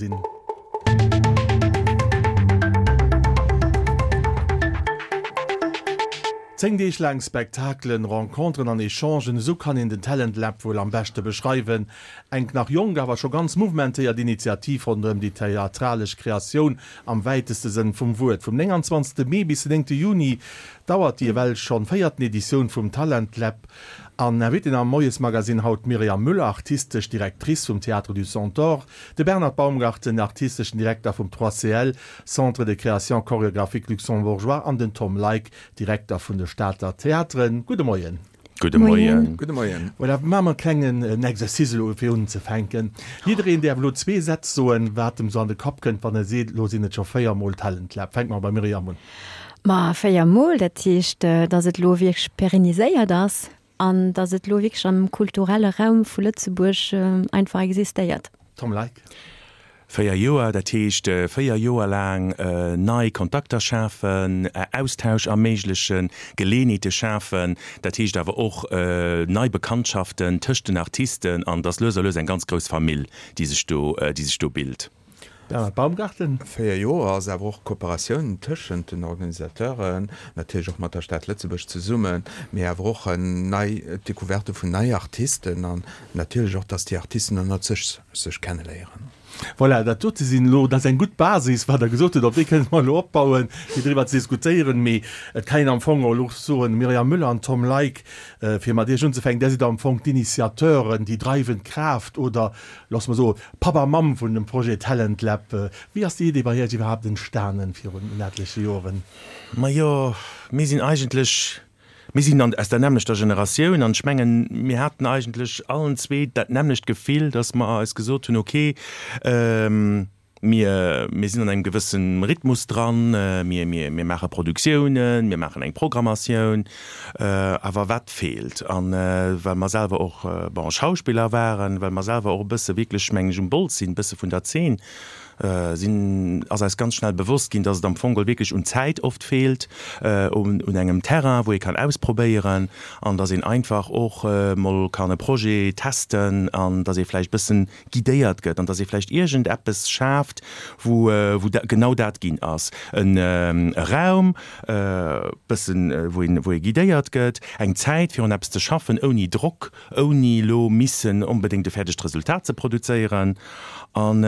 Sinn. 10 Deeg laang Spektakelen, Renconteren an Echangen, esou kann een den Talent Lab wuel am beschte beschreiwen. Eng nach jonk, awer scho ganz mouvementéiert Initiativ ronderëm déi theatralesch Kreatioun am wäiteste Sënn vum Wuert. Vum 29. Mee bis den 9. Juni dauert déi ewell schonn véierten Editioun vum Talent Lab. An Invitée am Moiesmagazine haut d'Myriam Müller, artistesch Directrice vum Théâtre du Centaure, de Bernhard Baumgarten, artisteschen Direkter vum 3CL, Centre de création chorégraphique luxembourgeois, an den Tom Leick, Direkter vun de Stater Theateren. Gudde Moien. Gudde Moien. Gudde Moien. Voilà, maache mer e klengen Exercice elo fir unzefänken. Jiddereen däerf elo zwee Sätz soen, wat em sou an de Kapp kënnt, wann e seet, elo sinn et scho 4 mol Talent Lab. Fänke mer beim Myriam un. Ma 4 mol, dat heescht, datt et elo wierklech pérenniséiert ass an datt et elo wierklech am kulturelle Raum vu Lëtzebuerg einfach existéiert. Tom Leick. 4 Joer, dat heescht 4 Joer laang nei Kontakter schafen, Austausch erméiglechen, Geleeënheete schafen, dat heescht awer och nei Bekanntschaften tëscht den Artisten an et ass lues a lues eng ganz grouss Famill, déi sech do, déi sech do bilt. Bernhard Baumgarten. 4 Joer ass awer och Kooperatioun tëschent den Organisateuren, natierlech och mat der Stad Lëtzebuerg zesummen, mee awer och nei d'Decouverte vun nei Artisten an natierlech och, dass déi Artisten ënnert sech sech kenneléieren. Voilà, dat dote sinn elo, dat ass eng gutt Basis, wat Der gesot hutt, op déi kënne mer elo opbauen, fir driwwer ze diskutéieren. Mee et kann een am Fong och elo soen, Myriam Müller an Tom Leick, fir mat Iech unzefänken, Där sidd am Fong d'Initiateuren, déi dreiwend Kraaft oder, loosse mer soen, Papp a Mamm vun dem Projet Talent Lab. Wéi ass déi Idee bei Iech iwwerhaapt entstanen virun en etleche Joren? Majo, mir sinn eigentlech, mir sinn an, aus der nämmlechter Generatioun an ech mengen, mir haten eigentlech allen zwee dat nämmlecht Gefill, datt mer eis gesot hunn, okay, Mir, mir sinn an engem gewësse Rhythmus dran, mir, mir, mir maache Produktiounen, mir maachen eng Programmatioun, awer wat feelt? An well mer selwer och, bon, Schauspiller waren, well mer selwer och e bësse wierklech, mengen ech, um Bols sinn, e bësse vun der Zeen sinn, ass eis ganz schnell bewosst ginn, dass et am Fong geholl wierklech un Zäit oft feelt, un, un engem Terrain, wou ee kann ausprobéieren an dass een einfach och mol kann e Projet testen an dass ee vläicht e bëssen guidéiert gëtt an dass ee vläicht iergend eppes schaaft, wou wou genau dat ginn ass, en e Raum, e bëssen, wou een wou ee guidéiert gëtt, eng Zäit fir un eppes ze schaffen, ouni Drock, ouni elo missen onbedéngt e fäerdegt Resultat ze produzéieren. An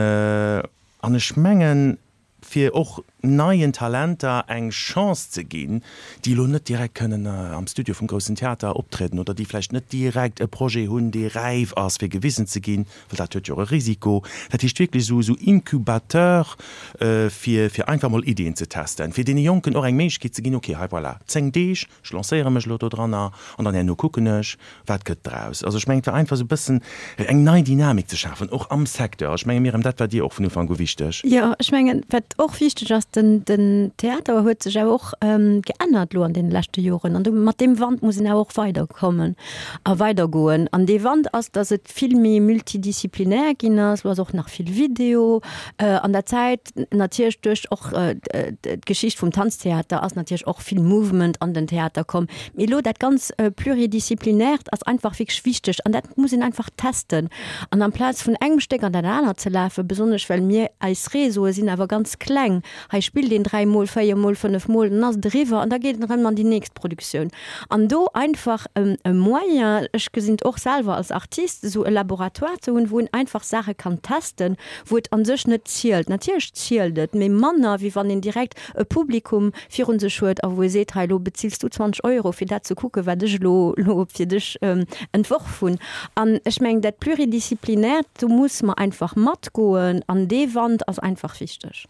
an ech mengen, fir och neien Talenter eng Chance ze ginn, déi elo net direkt kënnen am Studio vum Groussen Theater optrieden oder déi vläicht net direkt e Projet hunn, dee räif ass, fir gewisen ze ginn, well dat huet jo och e Risiko. Dat heescht wierklech esou esou Incubateur, fir fir einfach mol Iddien ze testen, fir deene Jonken och eng Méiglechkeet ze ginn, okay, hei voilà, 10 Deeg, ech lancéiere mech elo dodranner an dann herno kucken ech, Wat gëtt draus? Also ech mengen, et war einfach esou e bëssen eng nei Dynamik ze schafen, och am Secteur. Ech menge Myriam, dat war dir och vun Ufank u wichteg. Jo, ech mengen, wat och wichteg ass, den, den Theater huet sech awer och geännert elo an deene leschte Joren. An do, mat deem Wand muss een awer och weiderkommen a weidergoen. An dee Wand ass, datt et vill méi multidisziplinär ginn ass. Elo ass och nach vill Video an der Zäit. Natierlech duerch och d'Geschicht vum Tanztheater ass natierlech och vill Movement an den Theater komm. Mee elo dat ganz Pluridisziplinärt ass einfach wierklech wichteg an dat muss een einfach testen. An amplaz vun engem Stéck an dat anert ze lafen, besonnesch well mir eis Réseaue sinn awer ganz kleng, hei spillt een dräimol, véiermol, fënnefmol, dann ass et eriwwer an da geet en erëm an déi nächst Produktioun. An do einfach e Moyen, ech gesinn et och selwer als Artist, esou e Laboratoire ze hunn, wou een einfach Saache kann testen, wou et a sech net zielt, natierlech zielt et, mee manner wéi wann een direkt e Publikum virun sech huet a wou e seet, hei elo bezills du 20 Euro fir dat ze kucken, wat ech elo elo fir dech entworf hunn. An ech mengen dat Pluridisziplinärt, do muss mer einfach matgoen an dee Wand ass einfach wichteg.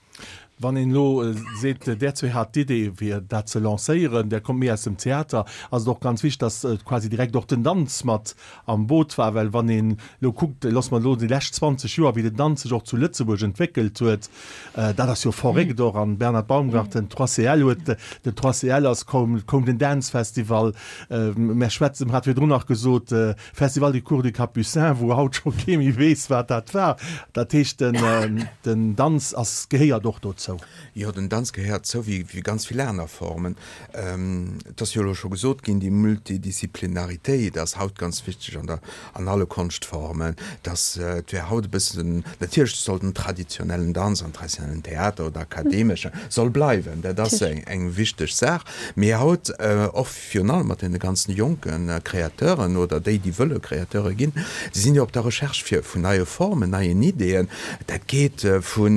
Wann een elo seet, där zwee hat d'Idee fir dat ze lancéieren, där kommt méi aus dem Theater, ass et och ganz wichteg, datt quasi direkt och den Danz mat am Boot war. Well wann een elo kuckt, loosse mer elo déi lescht 20 Joer, wéi den Danz sech och zu Lëtzebuerg entwéckelt huet, dat ass jo verréckt och. An Bernhard Baumgarten, 3CL huet, den 3CL ass koum, et koum den Dance Festival, mär schwätzen, mer hat virdrun nach gesot, Festival du Cours du Capucin, wou haut scho kee méi weess, wat dat war. Dat heescht, den Danz ass, gehéiert och dozou. dozou? Jo, den Danz gehéiert zou, wéi ganz vill aner Formen. Et ass jo elo scho gesot ginn, déi Multidisziplinaritéit ass haut ganz wichteg an der, an alle Konschtformen, dass et wär haut e bëssen, natierlech soll den traditionellen Danz an traditionellen Theater oder akademesche soll bleiwen, dat ass eng wichteg Saach, mee haut och virun allem mat deene ganzen jonke Créateuren oder déi, déi wëlle Créateure ginn, déi sinn jo op der Recherche fir vun neie Formen, neien Ideeën. Dat geet vu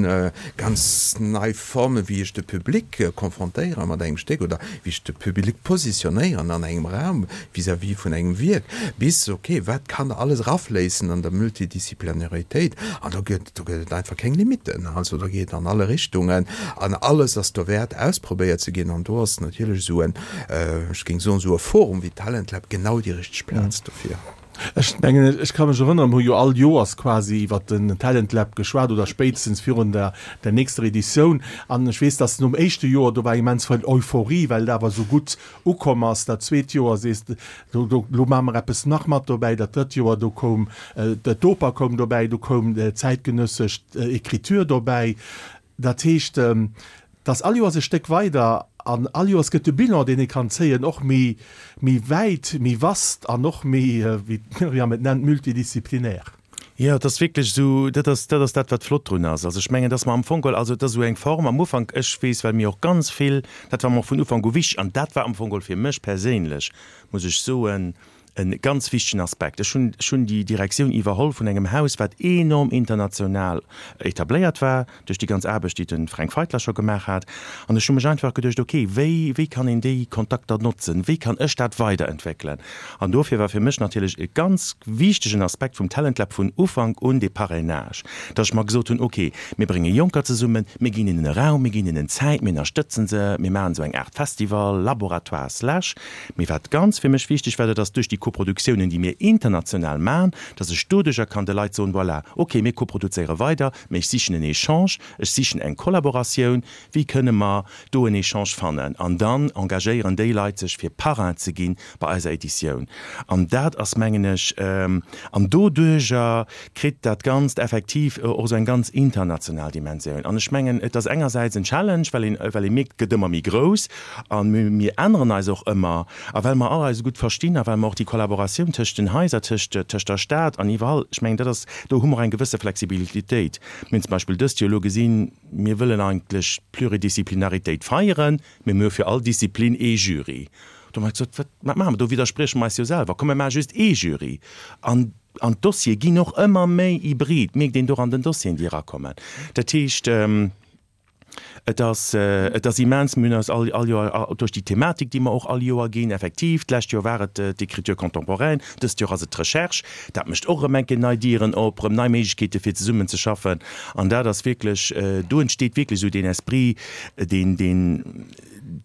ganz nei Formen, wéi ech de Public konfrontéiere mat engem Stéck oder wéi ech de Public positionéieren an engem Raum vis-à-vis vun engem Wierk, bis, ok, wat kann alles erafléissen an der Multidisziplinaritéit. An do gëtt, do gëtt et einfach keng Limitten. Also do geet et an alle Richtungen an alles ass dowäert ausprobéiert ze ginn. An do ass natierlech esou en, ech géing soen, esou e Forum wéi d'Talentlab genau déi richteg Plaz dofir. Ech mengen, ech ka mech erënneren, mir hu jo all Joers quasi iwwert den Talent Lab geschwat oder spéitstens virun der der nächster Editioun. An ech weess, dass nom éischte Joer, do war immens vill Euphorie, well et awer esou gutt ukomm ass. Dat zweet Joer sees de, do do lo maache mer eppes nach mat dobäi. Dat drëtt Joer, do koum d'Oper koum dobäi, do koum zäitgenëssesch Écriture dobäi. Dat heescht, dass all Joers e Stéck weider an all Joers gëtt de Bilan, deen ee kann zéien, och méi, méi wäit, méi vast an och méi, wéi d'Myriam et nennt, multidisziplinär. Jo, et ass wierklech esou, dat ass, dat ass dat, wat flott drun ass. Also ech mengen, dass mer am Fong geholl, also et ass esou eng Form am Ufank, ech weess, well mir och ganz vill, dat war mer och vun Ufank u wichtig an dat war am Fong geholl fir mech perséinlech, muss ech soen, E ganz wichtegen Aspekt. Ech hunn, ech hunn déi Direktioun iwwerholl vun engem Haus, wat enorm international etabléiert war, duerch déi ganz Aarbecht, déi de Fränk Feitler scho gemaach hat. An ech hu mech einfach geduecht, okay, wéi, wéi kann een déi Kontakter notzen? Wéi kann ech dat weiderentwéckelen? An dofir war fir mech natierlech e ganz wichtegen Aspekt vum Talent Lab vun Ufank un dee Parrainage, dass ech mer gesot hunn, okay, mir brénge Jonker zesummen, mir ginn hinnen e Raum, mir ginn hinnen Zäit, mir ënnerstëtzen se, mir maachen esou eng Aart Festival, Laboratoire slash. Mee wat ganz fir mech wichteg war, dat ass duerch déi Koproduktiounen, déi mir international maachen, dass ech doduercher kann de Leit soen, voilà, okay, mir koproduzéiere weider, mee ech sichen en Echange, ech sichen eng Kollaboratioun, wéi kënne mer do en Echange fannen? An dann engagéieren déi Leit sech, fir Parrain ze gi bei eiser Editioun. An dat ass, mengen ech, an doduerjer kritt dat Ganzt effektiv och esou eng ganz international Dimensioun. An ech mengen, et ass engersäits en Challenge, well een, well ee mierkt, et gëtt ëmmer méi grouss a mir änneren eis och ëmmer. A well mer all eis esou gutt verstinn a well mer och déi Kollaboratioun tëscht den Haiser, tëscht, tëscht der Stad an iwwerall, ech mengen, dat ass, do hu mer och eng gewësse Flexibilitéit. Mir hunn zum Beispill dëst Joer elo gesinn, mir wëllen eigentlech d'Pluridisciplinaritéit feieren, mee mir hu fir all Disziplin ee Jury. Do hu mer gesot, wat, wat maache mer? Do widdersprieche mer eis jo selwer. Komm, mir maache just ee Jury. An An d'Dossiere ginn och ëmmer méi hybrid, mierkt een och an den Dossieren, déi erakommen. Dat heescht, et ass, et ass immens, mir hunn eis all, all Joer duerch déi Thematik, déi mer och all Joer ginn, effektiv, d'lescht Joer war et d'Écriture contemporaine, dëst Joer ass et d'Recherche, dat mécht och erëm eng Kéier nei Dieren op, erëm nei Méiglechkeete fir zesummen ze schaffen. An dat ass wierklech, do entsteet wierklech esou deen Esprit, deen, deen,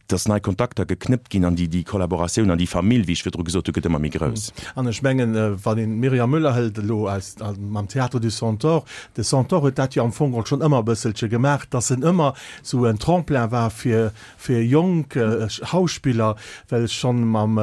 dass nei Kontakter geknëppt ginn an déi, déi Kollaboratioun an déi Famill, wéi ech virdru gesot hunn, gëtt ëmmer méi grouss. An ech mengen, wann een d'Myriam Müller hëlt elo aus, mam Théâtre du Centaure, de Centaure huet dat jo am Fong och schonn ëmmer e bësselche gemaach, dass en ëmmer esou en Tremplin war fir, fir jonk Schauspiller, well schonn mam,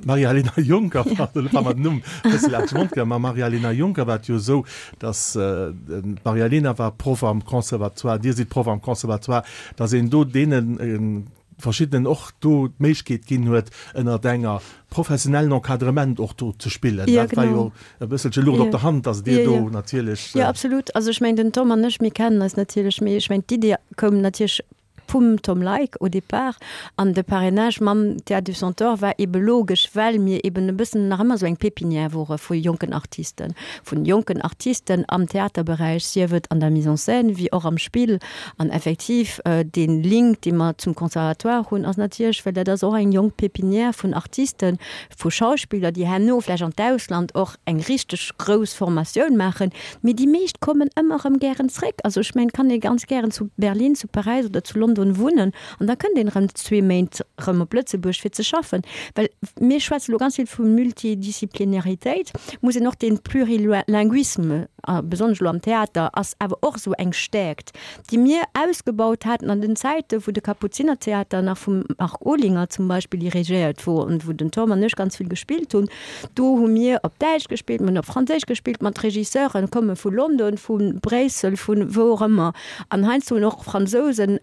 Maria-Helena Juncker, pardon, elo war mer den Numm e bësse laang zum Mond gaangen, mam Maria-Helena Juncker war et jo esou, dass d'Maria-Helena war Proff am Conservatoire, Dir sidd Proff am Conservatoire, dass een do deene verschiddenen och do d'Méiglechkeet ginn huet, ënnert enger professionellen Encadrement och do ze spillen. Dat war jo e bësselche Luucht op der Hand, dass Dir do natierlech. Jo, absolut. Also ech mengen, den Tom an ech, mir kennen eis natierlech, mee ech mengen, d'Idee koum natierlech vum Tom Leick au départ, an de Parrainage mam Théâtre du Centaure war ebe logesch, well mir eben e bëssen nach ëmmer esou eng Pépinière wore vu jonken Artisten, vun jonken Artisten am Theaterberäich, sief et an der Mise en scène wéi och am Spill. An effektiv, dee Link, dee mer zum Conservatoire hunn, ass natierlech, well dat ass och eng jonk Pépinière vun Artisten, vu Schauspiller, déi herno vläicht an d'Ausland och eng richteg grouss Formatioun maachen, mee déi meescht kommen ëmmer erëm gären zréck. Also ech mengen, et kann ee ganz gären zu Berlin, zu Paräis oder zu London. London wunnen an da kënnt een erëm zwee Méint erëm op Lëtzebuerg fir ze schaffen. Well mir schwätze lo ganz vill vu Multidisziplinaritéit, muss een och dee Plurilinguisme, a besonnesch elo am Theater, ass awer och esou eng Stäerkt, déi mir ausgebaut haten an den Zäite wou de Kapuzinertheater nach vum Marc Olinger zum Beispill dirigéiert wor an wou den Tom an ech ganz vill gespillt hunn. Do hu mir op Däitsch gespillt, mir hunn op Franséisch gespillt mat Regisseuren, komme vu London, vu Bréissel, vu wou och ëmmer an heiansdo hunn och Fransousen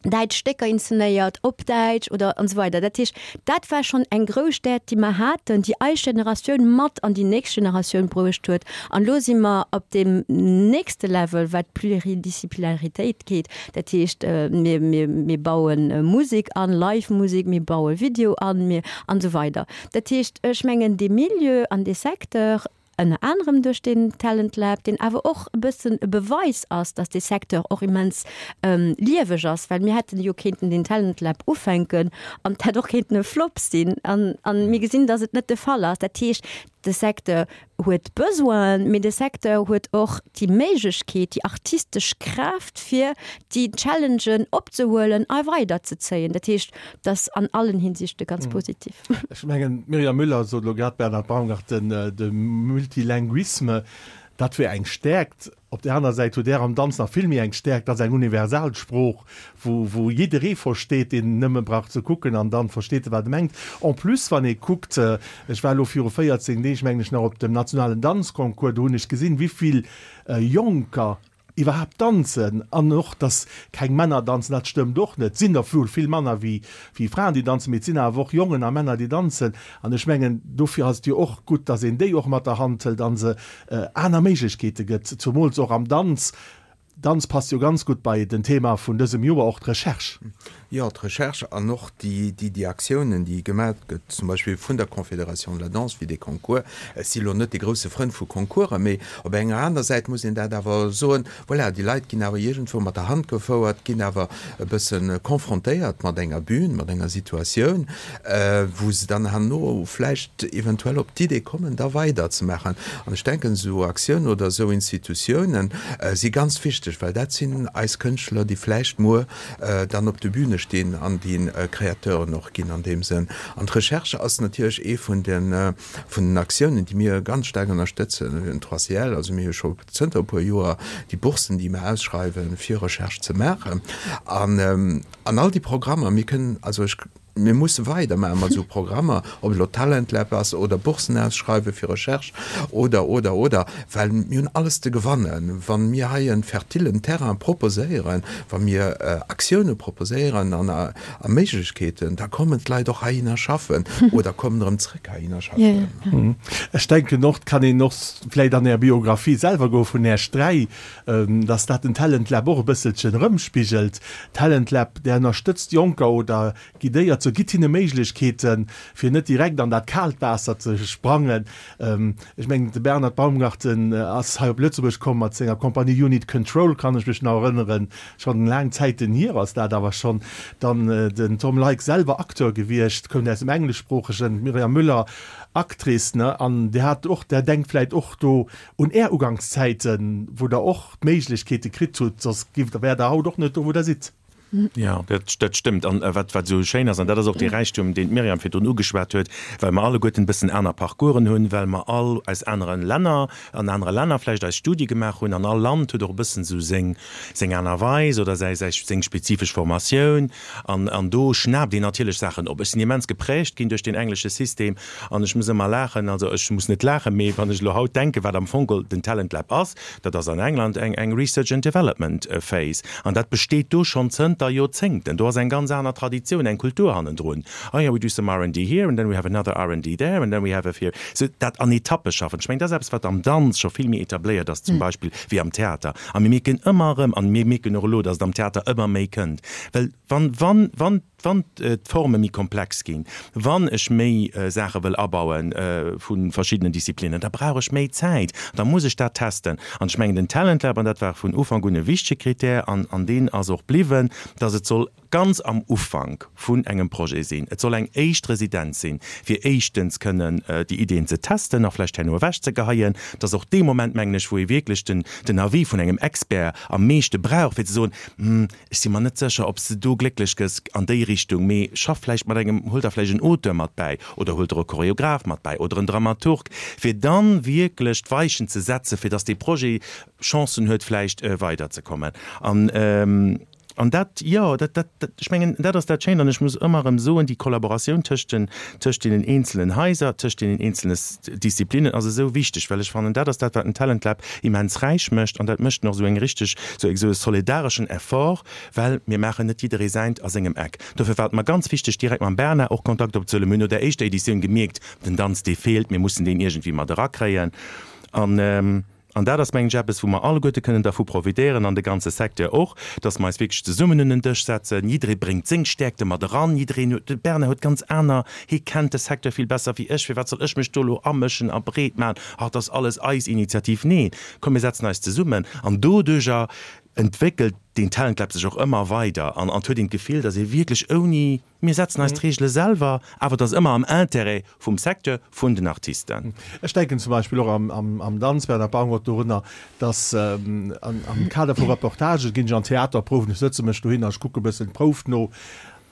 däitsch Stécker inzenéiert op Däitsch oder an esou weider. Dat heescht, dat war schonn eng grouss Stäerkt, déi mer haten, déi eis Generatioun mat an déi nächst Generatioun bruecht huet. An elo si mer op deem nächste Level, wat d'Pluridisciplinaritéit geet. Dat heescht, mir, mir, mir baue Musek an, Live-Musek, mir baue Video an, mir, an esou weider. Dat heescht, ech mengen, dee Milieu an dee Secteur, ënner anerem duerch deen Talent Lab, deen awer och e bëssen e Beweis ass, dass dee Secteur och immens lieweg ass, well mir hätten jo kéinten deen Talent Lab ufänken an et hätt och kéinten e Flop sinn an mir gesinn, dass et net de Fall ass. Dat heescht, de Secteur huet Besoinen, mee de Secteur huet och déi Méiglechkeet, déi artistesch Kraaft, fir déi Challengen opzehuelen a weiderzezéien. Dat heescht, et ass an allen Hinsichte ganz positiv. Ech mengen, d'Myriam Müller sot elo grad, Bernhard Baumgarten, de Multilinguisme, dat wier eng Stäerkt. Op där aner Säit hutt Där am Danz nach vill méi eng Stäerkt, dat ass eng universal Sprooch, wou, wou jidderee versteet, deen nëmme brauch ze kucken an dann versteet e wat e mengt. En plus, wann ee kuckt, ech war elo viru 14 Deeg, mengen ech, nach op dem nationalen Danzconcours, do hunn ech gesinn, wéi vill Jonker iwwerhaapt danzen an och, dass keng Männer danzen, dat stëmmt och net. Et sinn der wuel vill manner wéi Fraen, déi danzen, mee et sinn awer och Jongen a Männer, déi danzen. An ech mengen, dofir ass et jo och gutt, dass een déi och mat der Hand hëlt a se aner Méiglechkeete gëtt, zumools och am Danz. Danz passt jo ganz gutt bei den Thema vun dësem Joer, och d'Recherche. Jo, d'Recherche an och déi, déi Aktiounen, déi gemaach gëtt, zum Beispill vun der Confédération de la Danse, wéi dee Concours. Ech si lo net dee grousse Frënd vu Concoursen, mee op enger aner Säit muss een dat awer soen, voilà, déi Leit ginn awer iergendwou mat der Hand gefouert, ginn awer e bësse confrontéiert mat enger Bühn, mat enger Situatioun, wou se dann herno vläicht eventuell op d'Idee kommen, da weiderzemaachen. An ech denken, esou Aktiounen oder esou Institutiounen si ganz wichteg, well dat sinn eis Kënschtler, déi vläicht muer dann op de Bühne stinn an déi Créateuren och ginn an deem Sënn. An d'Recherche ass natierlech ee vun de vun den Aktiounen, déi mir ganz staark ënnerstëtzen, den 3CL, also mir hu scho zënter e puer Joer déi Boursen, déi mir ausschreiwen, fir Recherche ze maachen. An an all déi Programmer, mir kënnen, also ech, mir musse weidermaache mat esou Programmer, ob et elo Talent Lab ass oder Boursen ausschreiwe fir Recherche oder, oder, oder, well mir hunn alles ze gewannen, wa mir hei e fertilen Terrain proposéieren, wa mir Aktioune proposéieren an a Méiglechkeeten, da kommen d'Leit och heihinner schaffen oder kommen erëm zrëck heihinner schaffen. Ech denken och, et kann een och vläicht an Är Biographie selwer goe vun Äech 3, dass dat den Talent Lab och e bësselchen erëmspigelt. Talent Lab, där ënnerstëtzt Jonker oder guidéiert se, gitt hinne Méiglechkeeten, fir net direkt an dat kaalt Waasser ze sprangen. Ech mengen, de Bernhard Baumgarten ass hei op Lëtzebuerg komm mat senger Compagnie Unit Control, kann ech mech nach erënneren, schonn laang Zäiten hier ass dat awer schonn. Dann den Tom Leick, selwer Acteur gewiescht, koum aus dem Engleschsproochegen, d'Myriam Müller, Actrice, ne, an Dir hat och, Der denkt vläicht och do Un Är Ugangszäiten, wou Der och d'Méiglechkeete kritt hutt, soss giff, wäert Der haut och net do, wou Der sidd. Jo, dat stëmmt. An wat esou schéin ass, an dat ass och dee Räichtum, deen d'Myriam virdrun ugeschwat huet, well mer alleguerten e bëssen aner Parcoursen hunn, well mer all aus anere Länner, an anere Länner vläicht eis Studie gemaach hunn, an all Land huet och e bëssen esou seng, seng aner Weis oder säi, säi, seng spezifesch Formatioun. An, an do schnaapt een natierlech Saachen op. Ech sinn immens geprägt ginn duerch deen englesche System an ech muss ëmmer laachen, also ech muss net laachen, mee wann ech elo haut denken, wat am Fong den Talent Lab ass, Dat ass an England eng eng Research and Development Phase an dat besteet do schonn zënter Joerzéngten. Do ass eng ganz aner Traditioun, eng Kultur hannendrun. Oh yeah, we do some R&D here and then we have another R&D there and then we have a here. Sou dat an Etappe schaffen. Ech mengen, dat ass eppes, wat am Danz scho vill méi etabléiert ass zum Beispill wéi am Theater. A mir mierken ëmmer erëm, an mir mierken och elo, datt et am Theater ëmmer méi kënnt, well wann, wann, wann. Wann d'Forme méi komplex ginn, wann ech méi Saache wëll abaue vu verschiddenen Disziplinnen, da brauch ech méi Zäit, da muss ech dat testen. An ech mengen, den Talent Lab, an dat war vun Ufank un e wichtege Krittär an deen ass och bliwwen, dass et soll ganz am Ufank vun engem Projet sinn, et soll eng éischt Residenz sinn, fir éischtens kënnen déi Ideen ze testen a vläicht herno ewechzegeheien. Et ass och dee Moment, mengen ech, wou ee wierklech den Avis vun engem Expert am meeschte brauch, fir ze soen, Hm, ech si mer net sécher, ob s de do glécklech gëss an déi Richtung, mee schaff vläicht mat engem, huel der vläicht en Auteur mat bäi oder huel der e Choreograph mat bäi oder en Dramaturg, fir dann wierklech d'Weichen ze setzen, fir dass dee Projet Chancen huet vläicht weiderzekommen. An, an dat, jo, dat, dat, ech mengen, dat ass dat Schéint. An ech muss ëmmer erëm soen, déi Kollaboratioun tëscht den, tëscht deenen eenzelen Haiser, tëscht deenen eenzele Disziplinnen ass esou wichteg, well ech fannen, dat ass dat, wat den Talent Lab immens räich mécht an dat mécht en och esou eng richteg, esou e solidareschen Effort, well mir maachen net jidderee säint a sengem Eck. Dofir war et mer ganz wichteg, direkt mam Bernard och Kontakt opzehuelen. Mir hunn no der éischter Editioun gemierkt, den Danz, dee feelt, mir mussen deen iergendwéi mat erakréien. An An dat ass, mengen ech, eppes, wou mer alleguerte kënnen dervu profitéieren, an de ganze Secteur och, dass mer eis wierklech zesummen un den Dësch setzen. Jidderee bréngt seng Stäerkte mat eran, jiddereen huet, de Bernard huet ganz aner, hie kennt de Secteur vill besser wéi ech, firwat soll ech mech do elo amëschen a breet maachen, ach, dat ass alles eis Initiativ. Neen, komm mir setzen eis zesummen an doduerjer entwéckelt deen Talent Lab sech och ëmmer weider an et huet een d'Gefill, dass ee wierklech ouni Mir setzen eis d'Reegele selwer, awer et ass ëmmer am Intérêt vum Secteur, vun den Artisten. Ech denken zum Beispill och am Danz, Bernard Baumgart, dorunner, dass am Kader vu Reportagen ginn ech an Theaterprouwen, ech sëtze mech dohin a ech kucke e bëssen d'Prouf no.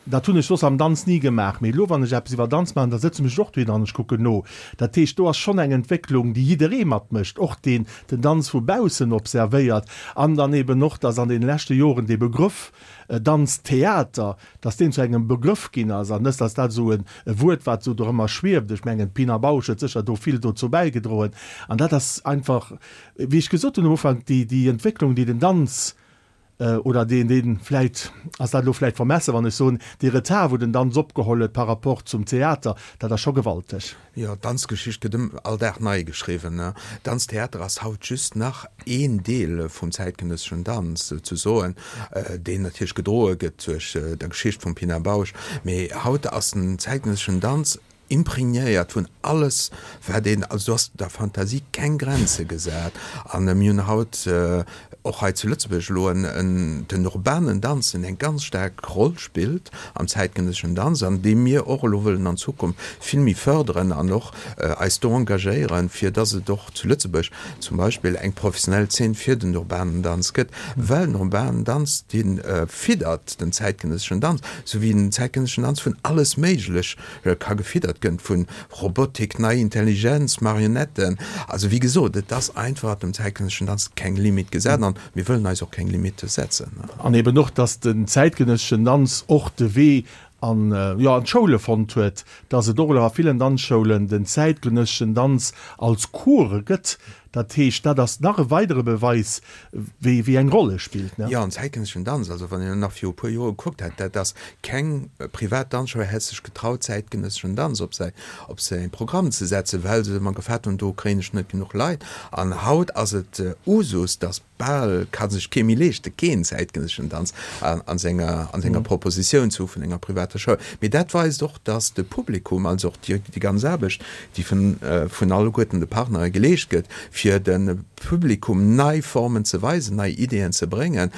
Dat hunn ech soss am Danz ni gemaach, mee elo, wann ech eppes iwwer Danz maachen, da sëtze mech och dohin an ech kucken no. Dat heescht, do ass schonn eng Entwécklung, déi jidderee matmécht, och deen den Danz vu baussen observéiert. An dann eben och, dass an deene leschte Joren dee Begrëff Danztheater, dass deen zu engem Begrëff ginn ass an net, dass dat esou e Wuert, wat esou dorëmmer schwieft. Ech mengen, d'Pina Bausch huet sécher do vill dozou bäigedroen. An dat ass einfach, wéi ech gesot hunn am Ufank, déi, déi Entwécklung, déi den Danz oder deen, deen, vläicht ass dat elo vläicht vermessen, wann ech soen, dee Retard, wou den Danz opgeholl huet par rapport zum Theater, dat ass scho gewalteg. Jo, d'Danzgeschicht gëtt ëm all Dag nei geschriwwen. Danztheater ass haut just nach een Deel vum zäitgenësseschen Danz, souzesoen, deen natierlech gedroe gëtt duerch der Geschicht vum Pina Bausch. Mee haut ass den zäitgenësseschen Danz imprégnéiert vun alles, wat een, also do ass der Fantasie keng Grenze gesat. A mir hunn haut och hei zu Lëtzebuerg elo en den urbanen Danz, deen eng ganz staark Roll spillt am zäitgenësseschen Danz an dee mir och elo wëllen an Zukunft vill méi fërderen an och eis do engagéieren, fir dass et och zu Lëtzebuerg zum Beispill eng professionell Zeen fir den urbanen Danz gëtt, well den urbanen Danz, dee fiddert den zäitgenësseschen Danz, esou wéi den zäitgenësseschen Danz vun alles Méiglech ka gefiddert gënn, vun Robotik, nei Intelligenz, Marionetten, also wéi gesot, et ass einfach dem zäitgenësseschen Danz keng Limite gesat an mir wëllen eis och keng Limitte setzen. An eben och, dass den zäitgenësseschen Danz och de Wee an, jo, an d'Schoule fonnt huet, dass et och elo a villen Danzschoulen den zäitgenësseschen Danz als Cours gëtt. Dat heescht, dat ass nach e weidere Beweis, wéi, wéi eng Roll e spillt, ne? Jo, an zäitgenësseschen Danz, also wann een nach viru puer Joer gekuckt hätt, dat ass keng privat Danzschoul hätt sech getraut, zäitgenësseschen Danz op säi, op säi Programm ze setzen, well se ëmmer gefaart hunn, do kréien ech net genuch Leit. An haut ass et Usus, dass bal ka sech kee méi leeschte keen zäitgenësseschen Danz a senger, an senger Propositioun ze hu vun enger privater Schoul. Mee dat weist och, dass de Publikum, also och déi, déi ganz Aarbecht, déi vun, vun alleguerten de Partnere geleescht gëtt, fir de Publikum nei Formen ze weisen, nei Ideeën ze bréngen,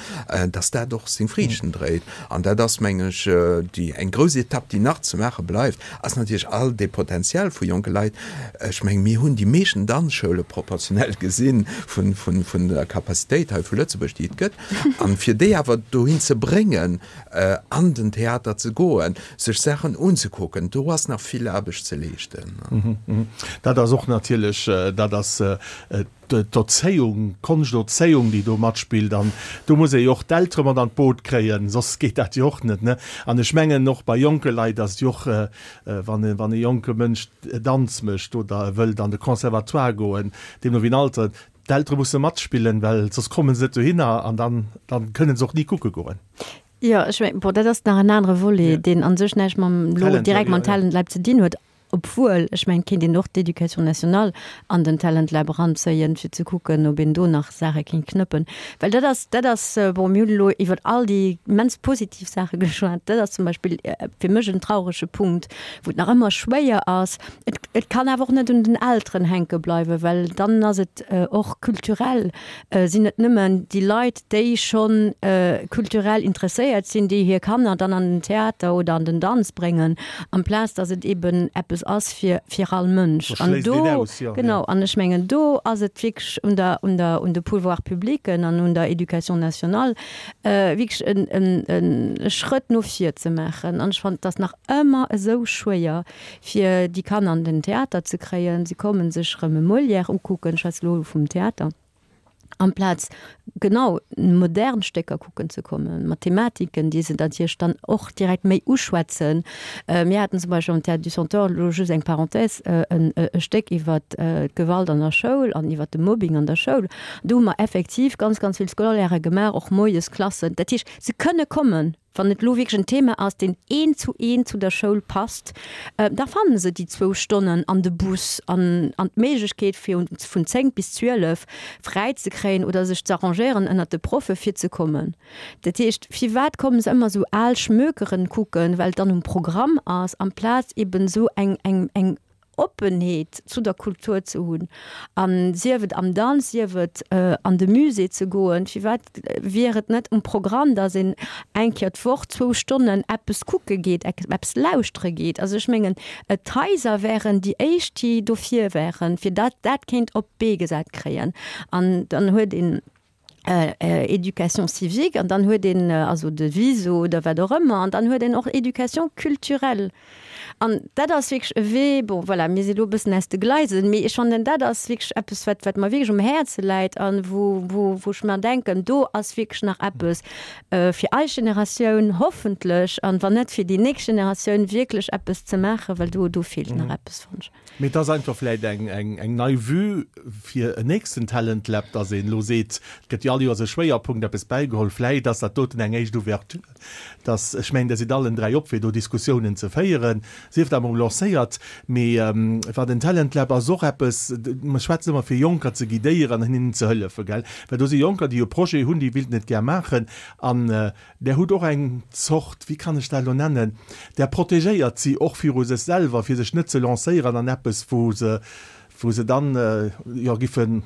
dass dat och seng Friichten dréit. An dat ass, mengen ech, déi eng grouss Etapp, déi nach ze maache bleift, ass natierlech all dee Potential vu jonke Leit. Ech mengen, mir hunn déi meeschten Danzschoule proportionell gesinn vun, vun, vun der Capacitéit hei vu Lëtzebuerg, déi et gëtt. An fir déi awer dohin ze bréngen, an den Theater ze goen, sech Saachen unzekucken, do ass nach vill Aarbecht ze leeschten. Dat ass och natierlech, dat ass d'Erzéiung, d'Konschterzéiung, déi do matspillt. An do muss ee jo och d'Eltere mat an d'Boot kréien, soss geet dat jo och net, ne? An ech mengen, och bei jonke Leit ass et jo och, wann e, wann e jonke Mënsch Danz mécht oder e wëllt an de Conservatoire goen, deemno wéi en Alter, D'Eltere musse matspillen, well soss komme se net dohinner an dann, dann kënne se och ni kucke goen. Jo, ech mengen, bon, dat ass nach en anere Volet, deen a sech näischt mam, elo direkt mam Talent Lab ze dinn huet. Obwuel, ech mengen, et kéint een och d'Éducation nationale an den Talent Lab eranzéien, fir ze kucken, ob een do nach Saache kéint knëppen. Well dat ass, dat ass, bon, mir hunn elo iwwer all déi immens positiv Saache geschwat, dat ass zum Beispill fir mech en traurege Punkt, wou et nach ëmmer schwéier ass. Et, et kann awer och net un den Elteren hänke bleiwen, well dann ass et och kulturell sinn et nëmmen déi Leit, déi schonn kulturell interesséiert sinn, déi hir Kanner dann an den Theater oder an den Danz bréngen, amplaz datt et eben eppes ass fir, fir all Mënsch. An do, genau, an ech mengen, do ass et wierklech un der, un der, un de Pouvoirs publics an un der Éducation nationale, wierklech en, en, e Schrëtt no vir ze maachen. An ech fannen, et ass nach ëmmer esou schwéier, fir déi Kanner an den Theater ze kréien. Se kommen sech erëm e Molière ukucken, ech schwätze elo vum Theater, amplaz genau modern Stécker kucken ze kommen, mat Thematiken, déi se natierlech dann och direkt méi uschwätzen. Mir haten zum Beispill am Théâtre du Centaure, elo just eng Parenthèse, e Stéck iwwer d'Gewalt an der Schoul an iwwer de Mobbing an der Schoul. Do hu mer effektiv ganz, ganz vill Scolairë gemaach, och moies Klassen. Dat heescht, se kënne kommen. Wann et elo wierklech en Thema ass, deen eent zu eent zu der Schoul passt, da fanne se déi zwou Stonnen an de Bus an an d'Méiglechkeet, fir vun 10 bis 12 fräi ze kréien oder sech z'arrangéieren ënnert de Proffe fir ze kommen. Dat heescht, firwat komme se ëmmer esou al Schmökeren kucken, well et dann um Programm ass, amplaz eben esou eng eng eng Oppenheet zu der Kultur ze hunn, a sief et am Danz, sief et an de Musée ze goen, firwat wier et net um Programm, datt een eng Kéier d'Woch zwou Stonnen eppes kucke geet, eppes lauschtere geet? Also ech mengen, d'Haiser wären déi éischt, déi dofir wären, fir datt dat kéint op d'Bee gesat kréien. An dann huet een Éducation civique an dann huet een also de VISO oder wat och ëmmer an dann huet een och Éducation culturelle. An dat ass wierklech e Wee, bon voilà, mir si lo e bëssen aus de Gleisen, mee ech fannen dat ass wierklech eppes wat wat mer wierklech um Häerze läit an wou wou wou ech mer denken, do ass wierklech nach eppes fir eis Generatioun hoffentlech an wann net fir déi nächst Generatioun wierklech eppes ze maachen, well do do feelt nach eppes fannen ech. Mee et ass einfach vläit eng, eng, eng nei Vue fir en nächsten Talent Lab, dass een elo seet, et gëtt jo all Joers e Schwéierpunkt, eppes bäigeholl. Vläit ass dat doten eng éischt Ouverture, dass, ech mengen, Der sidd allen 3 op, fir do Diskussiounen ze féieren, sief dat emol lancéiert. Mee wat en Talent Lab ass och eppes, mer schwätzen ëmmer fir Jonker ze guidéieren an hinnen ze hëllefen, gell? Well do si Jonker, déi e Projet hunn, déi wéilten et gär maachen an Där hutt och eng Zort, wéi kann ech dat elo nennen, där protegéiert si och viru sech selwer, fir sech net ze lancéieren an eppes, wou se, wou se dann, jo, giffen,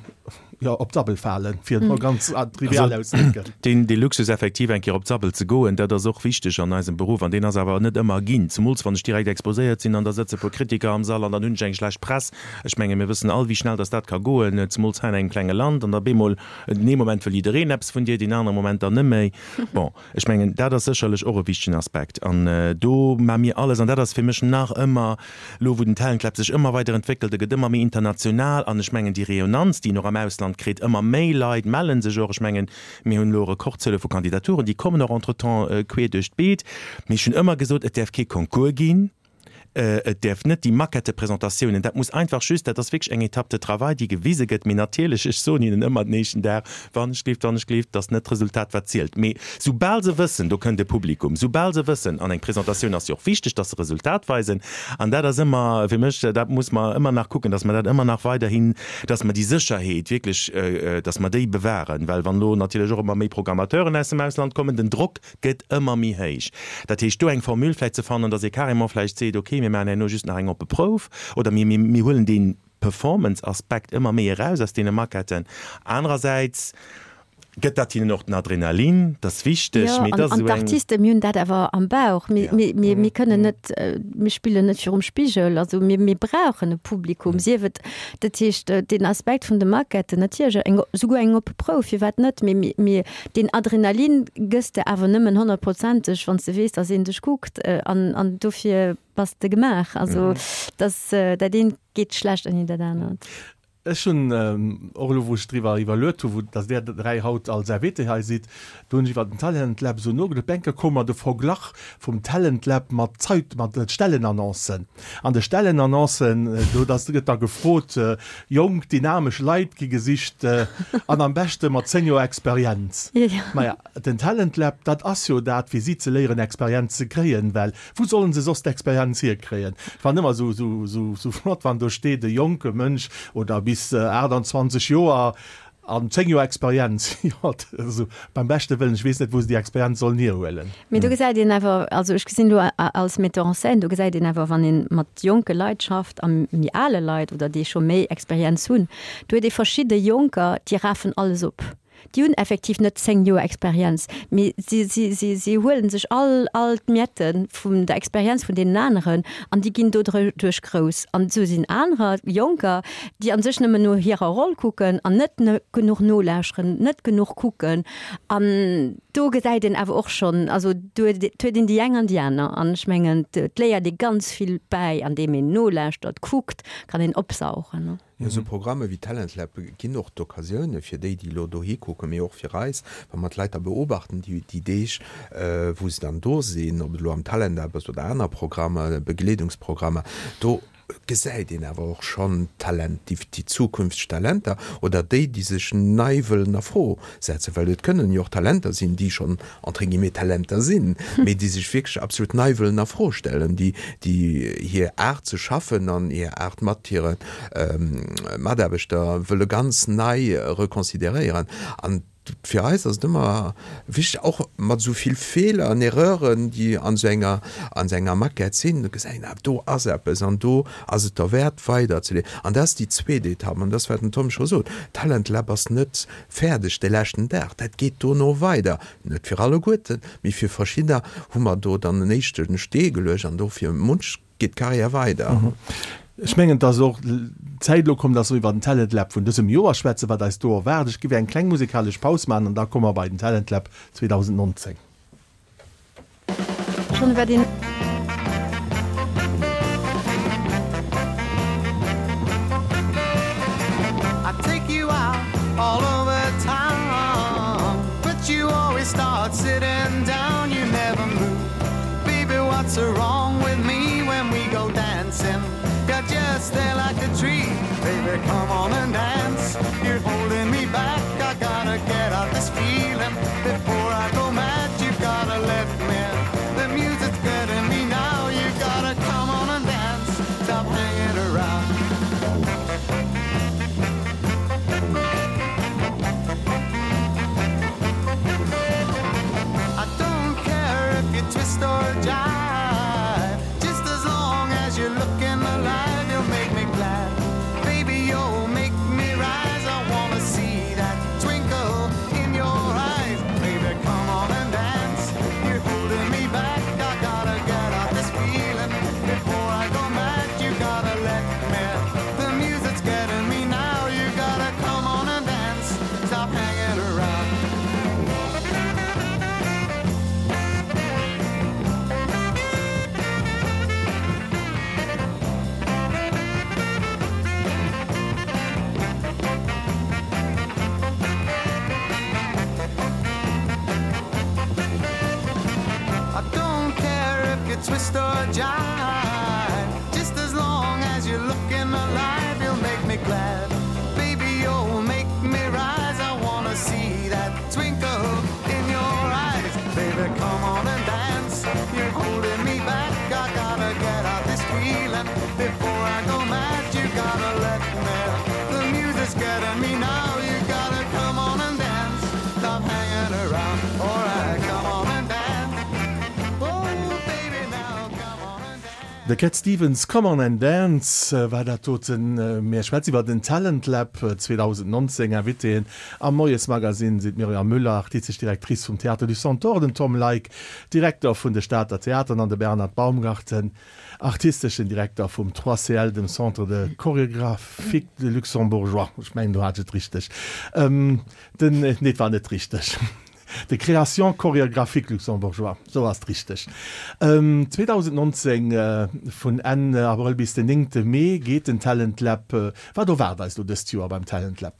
jo, op d'Sabbel falen, fir et mol ganz trivial auszedrécken. Deen, dee Luxus effektiv eng Kéier op d'Sabbel ze goen, dat ass och wichteg an eisem Beruff an deen ass awer net ëmmer ginn, zemools wann ech direkt exposéiert sinn an da sëtze puer Kritiker am Sall an dann hunn ech eng schlecht Press. Ech menge mir wëssen all, wéi schnell dass dat ka goen, zemools hei an engem klenge Land an da bemol Den ee Moment wëll jiddereen eppes vun dir, deen anere Moment dann net méi. Bon, ech mengen, dat ass sécherlech och e wichtegen Aspekt. An do maache mir alles, an dat ass fir mech nach ëmmer, elo wou den Talent Lab sech ëmmer weider entwéckelt, e gëtt ëmmer méi international, an ech mengen déi Rayonnanz, déi en och am Ausland kritt, ëmmer méi Leit melle sech och. Ech mengen, mir hunn elo Rekordzuele vu Kandidaturen, déi kommen och entretemps queer duerch d'Beet. Mee ech hunn ëmmer gesot, et däerf kee Concours ginn. Et däerf net déi Maquette-Presentatiounen, dat muss einfach just, dat ass wierklech eng Étape de travail, déi gewise gëtt. Mee natierlech, ech soen hinnen ëmmer den éischten Dag, wann ech gleeft, wann ech gleeft, et ass net d'Resultat, wat zielt. Mee soubal se wëssen, do kënnt e Publikum, soubal se wëssen, an eng Presentatioun ass jo och wichteg, dass se Resultat weisen, an dat ass ëmmer fir mech, dat muss mer ëmmer nach kucken, dass mer dat ëmmer nach weiderhin, dass mer déi Sécherheet wierklech, dass mer déi bewahren. Well wann elo natierlech och ëmmer méi Programmateuren aus dem Ausland kommen, den Drock gëtt ëmmer méi héich. Dat heescht, do eng Formule vläicht ze fannen, dass ee carrément vläicht seet, okay, mir maachen herno just nach eng oppe Prouf oder mir, mir, mir huelen dee Performance-Aspekt ëmmer méi eraus aus deene Maquetten. Anerersäits gëtt dat hinnen och den Adrenalin, dat ass wichteg, Jo, mee et an, ass an esou eng. d'Artiste, mir hunn dat awer am Bauch. Mir, Ja. mir, mir, mir kënnen net, mir spillen net virum Spigel. Also mir, mir brauchen e Publikum, sief et, dat heescht, deen Aspekt vun de Maquetten, natierlech eng, souguer eng oppe Prouf, firwat net, mee mir, mir, Deen Adrenalin gëss de awer nëmmen honnertprozenteg, wann s de weess, dass een dech kuckt. An, an dofir bass de gemaach. Also, dass, dat eent geet schlecht ouni dat anert. Ech hunn och elo, wou ech driwwer iwwerluet hu, wou dass där 3 haut als Invité hei sidd, do hunn ech iwwer den Talent Lab esou nogeduecht. Op eng Kéier koum mer de Verglach vum Talent Lab mat Zait, mat Stellenannoncen. An de Stellenannoncen, do dass gëtt da gefrot, jonk, dynamesch Leit gi gesicht an am beschte mat 10 Joer Experienz. Maja, den Talent Lab, dat ass jo dat, fir si ze léieren, Experienz ze kréien, well Wou sollen se soss d'Experienz hierkréien? Et war ëmmer esou flott, wann do steet, e jonke Mënsch oder bis 28 Joer an 10 Joer Experienz. Jo, also beim beschte Wëllen, ech weess net, wou se déi Experienz sollen hierhuelen. Mee do gesäit een awer, also ech gesinn elo als Metteur en scène, do gesäit een awer, wann ee mat jonke Leit schafft a méi ale Leit oder déi scho méi Experienz hunn, do huet ee verschidde Jonker, déi rafen alles op. Déi hunn effektiv net 10 Joer Experienz, mee si, si, si, si huele sech all, all d'Miette vun der Experienz vun deenen aneren an déi ginn doduerch grouss. An esou sinn anerer, Jonker, déi a sech nëmmen no hirer Roll kucken an net genuch nolauschteren, net genuch kucken. An do gesäit een awer och schonn, also do huet een déi eng an déi aner. An ech mengen, et léiert ee ganz vill bäi, andeem een nolauschtert, kuckt, kann een opsaugen. Jo, esou Programme wéi Talent Lab ginn och d'Occasioune fir déi, déi elo dohi kucken, mee och fir eis, wa mer d'Leit da beobachten, déi déi Deeg, wou se dann do sinn, ob et elo am Talent Lab ass oder aner Programmer, Begleedungsprogrammer, do gesäit een awer och schonn d'Talent, déi déi zukünfteg Talenter oder déi, déi sech nei wëllen a Fro setzen, well et kënnen jo och Talenter sinn, déi schonn entre guillemets Talenter sinn, mee déi sech wierklech absolut nei wëllen a Fro stellen, déi déi hir Aart ze schaffen an hir Aart mat hire Mataarbechter wëlle ganz nei reconsideréieren. An fir eis ass et ëmmer wichteg, och mat esou vill Feeler an Erreuren, déi an esou enger an esou enger Maquette sinn, da gesäit een awer, do ass eppes an do ass et derwäert weiderzeleen. An dat ass déi zweet Etapp an dat ass, wat den Tom scho sot, Talent Lab ass net fäerdeg de leschten Dag. Dat geet dono weider, net fir alleguerten, mee fir verschiddener hu mer do dann en éischte Stee geluecht an do fir munch geet d'Carrière weider. Ech mengen, et ass och d'Zäit elo komm, dass mer iwwer den Talent Lab vun dësem Joer schwätzen, wat eis do erwaart. Ech géif eng kleng musekalesch Paus maachen an da komme mer bei den Talent Lab 2019. Schon iwwer den. I take you out all over town But you always start sitting down You never move Baby, what's wrong with me when we go dancing? You're just there like a tree Baby, come on and dance You're holding me back I gotta get out this feeling Before I go mad You gotta let me The music's getting me now You gotta come on and dance Stop hanging around I don't care if you twist or jive Just as long as you're looking alive You'll make me glad Baby, you'll make me rise I wanna see that twinkle in your eyes Baby, come on and dance You're holding me back I gotta get out this feeling Before I go mad You gotta let me The music's getting me now You gotta come on and dance Stop hanging around I don't care if you twist or jive Just as long as you're looking alive You'll make me glad Baby, you'll make me rise I wanna see that twinkle in your eyes Baby, come on and dance You're holding me back I gotta get out this feeling Before I go mad You gotta let me The music's getting me now You gotta come on and dance Stop hanging around Alright, come on and dance Oh, baby, now come on and dance De Cat Stevens, Come on and Dance war dat doten. Mir schwätzen iwwer den Talent Lab 2019. Invitéen am Moiesmagazine sinn d'Myriam Müller, artistesch Directrice vum Théâtre du Centaure, den Tom Leick, Direkter vun de Stater Theateren an de Bernhard Baumgarten, artisteschen Direkter vum 3CL, dem Centre de Chorégraphique de Luxembourgeois. Ech mengen, do hat ech et richteg. Den, nee, et war net richteg. De Création chorégraphique luxembourgeois, sou ass et richteg. 2019, vun Enn Abrëll bis den néngte Mee geet den Talent Lab. Wat erwaart eis elo dëst Joer beim Talent Lab?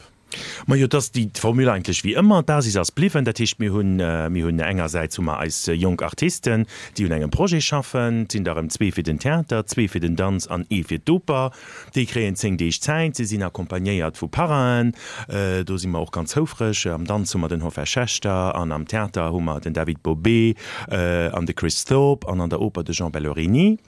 Majo, et ass déi Formule eigentlech wéi ëmmer. D'Basis ass bliwwen. Dat heescht, mir hunn, mir hunn engersäits hu mer eis jonk Artisten, déi un engem Projet schaffen. Et sinn der erëm zwee fir den Theater, zwee fir den Danz an ee fir d'Oper. Déi kréien 10 Deeg Zäit. Si sinn accompagnéiert vu Parrainen. Do si mer och ganz houfreg. Am Danz hu mer den Hoffer Schechter an am Theater hu mer den David Bobé an de Chris Thorpe an an der Oper de Jean Bellorini.